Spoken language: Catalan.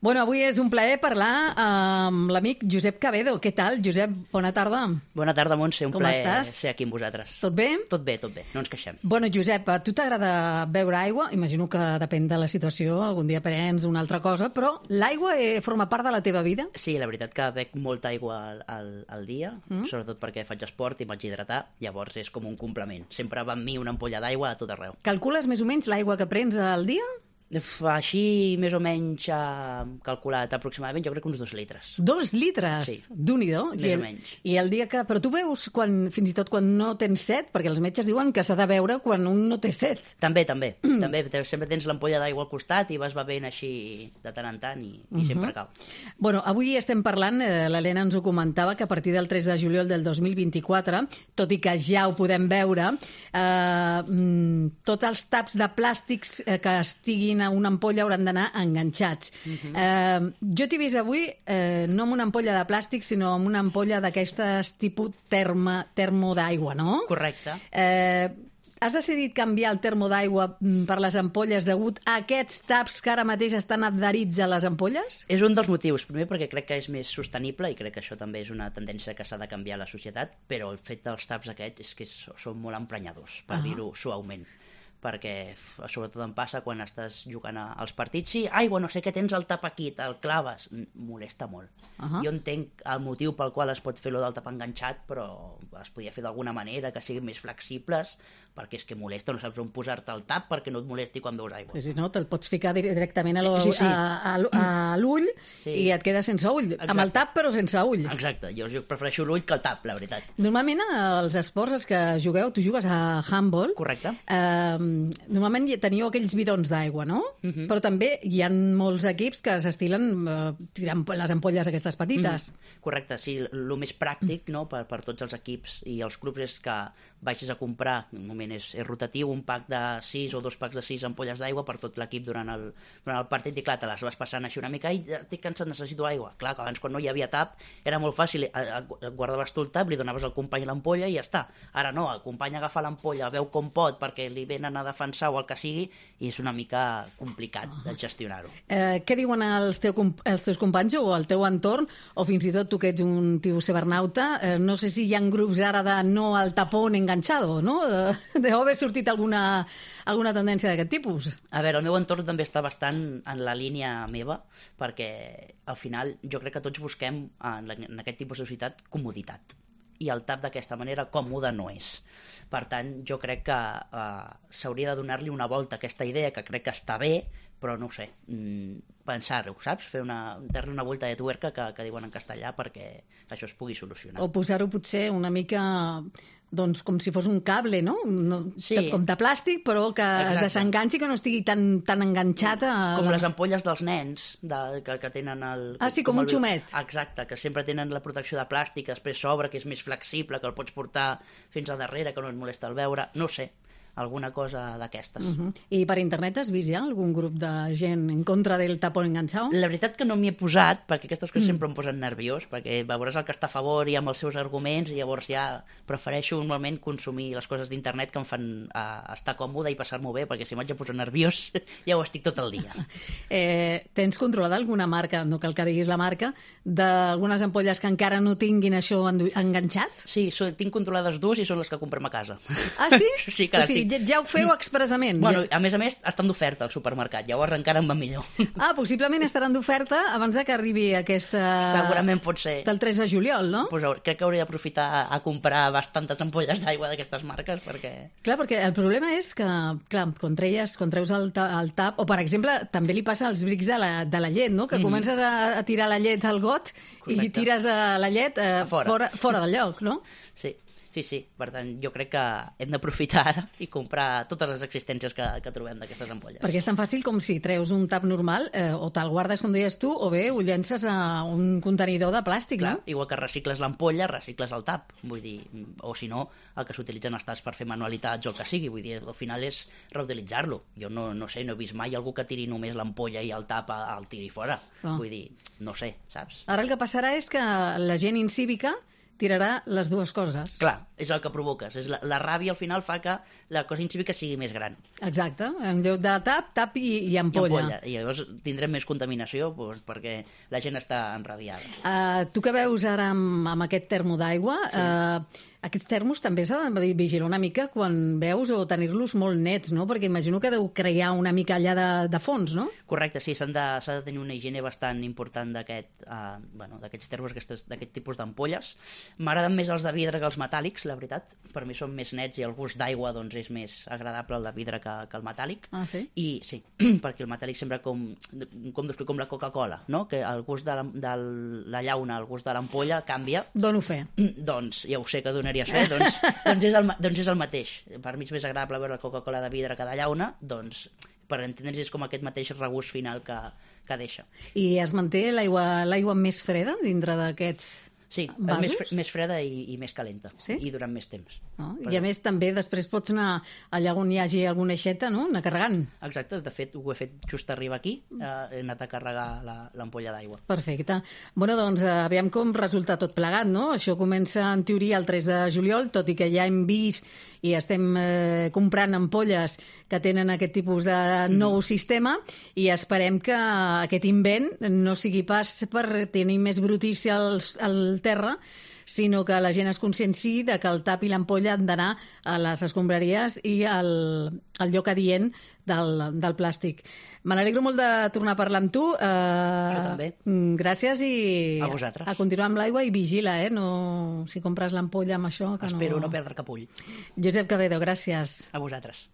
Bueno, avui és un plaer parlar amb l'amic Josep Cabedo. Què tal, Josep? Bona tarda. Bona tarda, Montse. Un plaer estàs? ser aquí amb vosaltres. Tot bé? Tot bé, no ens queixem. Bueno, Josep, a tu t'agrada beure aigua? Imagino que depèn de la situació, algun dia prens una altra cosa, però l'aigua forma part de la teva vida? Sí, la veritat que bec molta aigua al dia, sobretot perquè faig esport i m'haig d'hidratar, llavors és com un complement. Sempre va amb mi una ampolla d'aigua a tot arreu. Calcules més o menys l'aigua que prens al dia? Així, més o menys, calculat aproximadament, jo crec que uns 2 litres. 2 litres? Sí. Déu-n'hi-do. Més o menys. I el dia que... Però tu beus fins i tot quan no tens set? Perquè els metges diuen que s'ha de beure quan un no té set. També. Sempre tens l'ampolla d'aigua al costat i vas bevent així de tant en tant i sempre cau. Bueno, avui estem parlant, l'Helena ens ho comentava, que a partir del 3 de juliol del 2024, tot i que ja ho podem veure, tots els taps de plàstics que estiguin a una ampolla hauran d'anar enganxats. Jo t'he vist avui no amb una ampolla de plàstic, sinó amb una ampolla d'aquestes tipus termo d'aigua, no? Correcte. Has decidit canviar el termo d'aigua per les ampolles degut a aquests taps que ara mateix estan adherits a les ampolles? És un dels motius. Primer perquè crec que és més sostenible i crec que això també és una tendència que s'ha de canviar a la societat, però el fet dels taps aquests és que són molt emprenyadors, per dir-ho suaument. Perquè sobretot em passa quan estàs jugant als partits. Sí, aigua, no sé què, tens el tap aquí, te'l claves. Molesta molt. Jo entenc el motiu pel qual es pot fer del tap enganxat, però es podia fer d'alguna manera que siguin més flexibles, perquè és que molesta, no saps on posar-te el tap perquè no et molesti quan veus aigua. Si no, te'l pots ficar directament a l'ull i et quedes sense ull. Exacte. Amb el tap, però sense ull. Exacte, jo prefereixo l'ull que el tap, la veritat. Normalment, els esports als que jugueu, tu jugues a handball. Correcte. Normalment teniu aquells bidons d'aigua, no? Però també hi ha molts equips que s'estilen tirant les ampolles aquestes petites. Correcte, sí. El més pràctic, no, per tots els equips i els clubs és que vagis a comprar, un moment és rotatiu, un pack de 6 o 2 packs de 6 ampolles d'aigua per tot l'equip durant el partit i clar, te les vas passant així una mica i estic cansat, necessito aigua. Clar, que abans quan no hi havia tap era molt fàcil, guardaves tu el tap, li donaves al company l'ampolla i ja està. Ara no, el company agafa l'ampolla, veu com pot perquè li venen a defensar o el que sigui i és una mica complicat de gestionar-ho. Què diuen els teus companys o el teu entorn, o fins i tot tu que ets un tio cibernauta, no sé si hi ha grups ara de no al tapón enganchado, no? Deu haver sortit alguna tendència d'aquest tipus. A veure, el meu entorn també està bastant en la línia meva, perquè al final jo crec que tots busquem en aquest tipus de societat comoditat. I el tap d'aquesta manera còmode no és. Per tant, jo crec que s'hauria de donar-li una volta a aquesta idea, que crec que està bé, però no ho sé, pensar-ho, saps? Dar-li una volta de tuerca que diuen en castellà perquè això es pugui solucionar. O posar-ho potser una mica... doncs com si fos un cable, no? Sí. Com de plàstic, però que es desenganxi, que no estigui tan enganxat a... Com les ampolles dels nens, que tenen el... sí, com un xumet. Exacte, que sempre tenen la protecció de plàstic, després s'obre, que és més flexible, que el pots portar fins a darrere, que no et molesta el veure, no sé, alguna cosa d'aquestes. I per internet has vist ja algun grup de gent en contra del tapón enganchado? La veritat que no m'hi he posat, perquè aquestes coses sempre em posen nerviós, perquè veuràs el que està a favor i amb els seus arguments, i llavors ja prefereixo normalment consumir les coses d'internet que em fan estar còmode i passar-m'ho bé, perquè si m'haig de posar nerviós ja ho estic tot el dia. Tens controlada alguna marca, no cal que diguis la marca, d'algunes ampolles que encara no tinguin això enganxat? Sí, tinc controlades 2 i són les que comprem a casa. Ah, sí? Sí, que o sigui, ja ho feu expressament. Bueno, a més, estan d'oferta al supermercat, llavors encara em va millor. Possiblement estaran d'oferta abans que arribi aquesta... Segurament pot ser. Del 3 de juliol, no? Pues crec que hauria d'aprofitar a comprar bastantes ampolles d'aigua d'aquestes marques, perquè... Clar, perquè el problema és que, clar, quan treus el tap, o per exemple, també li passa als brics de la llet, no? Que comences a tirar la llet al got. Correcte. I tires la llet fora del lloc, no? Sí. Sí. Per tant, jo crec que hem d'aprofitar ara i comprar totes les existències que trobem d'aquestes ampolles. Perquè és tan fàcil com si treus un tap normal o te'l guardes, com deies tu, o bé ho llences a un contenidor de plàstic, clar, no? Igual que recicles l'ampolla, recicles el tap. Vull dir, o si no, el que s'utilitzen els taps per fer manualitats o el que sigui. Vull dir, al final és reutilitzar-lo. Jo no sé, no he vist mai algú que tiri només l'ampolla i el tap el tiri fora. Vull dir, no sé, saps? Ara el que passarà és que la gent incívica tirarà les dues coses. Clar, és el que provoques. La ràbia al final fa que la cosa incívica sigui més gran. Exacte, en lloc de tap i ampolla. I llavors tindrem més contaminació perquè la gent està enrabiada. Tu que veus ara amb aquest termo d'aigua, aquests termos també s'ha de vigilar una mica quan veus o tenir-los molt nets, no? Perquè imagino que deu crear una mica allà de fons, no? Correcte, sí, s'ha de tenir una higiene bastant important d'aquests termos, d'aquest tipus d'ampolles. M'agraden més els de vidre que els metàl·lics, la veritat. Per mi són més nets i el gust d'aigua doncs, és més agradable el de vidre que el metàl·lic. Ah, sí? I sí, perquè el metàl·lic sembla com la Coca-Cola, no? Que el gust de la llauna, el gust de l'ampolla canvia. Dono fe. Doncs ja ho sé que donaries fe, doncs és el mateix. Per mi és més agradable veure la Coca-Cola de vidre que de llauna, doncs per entendre's és com aquest mateix regust final que deixa. I es manté l'aigua més freda dintre d'aquests Sí, vasos? més freda i més calenta, sí? I durant més temps. I a més també després pots anar allà on hi hagi alguna aixeta, no? Anar carregant. Exacte, de fet ho he fet just arribar aquí, he anat a carregar l'ampolla d'aigua. Perfecte. Bueno, doncs aviam com resulta tot plegat, no? Això comença en teoria el 3 de juliol, tot i que ja hem vist i estem comprant ampolles que tenen aquest tipus de nou sistema i esperem que aquest invent no sigui pas per tenir més brutícia al terra, sinó que la gent es conscienciï de que el tap i l'ampolla han d'anar a les escombraries i al lloc adient del plàstic. Me n'alegro molt de tornar a parlar amb tu. Jo també. Gràcies i a vosaltres. A continuar amb l'aigua i vigila, no, si compres l'ampolla amb això. Que Espero no perdre cap ull. Josep Cabedo, gràcies. A vosaltres.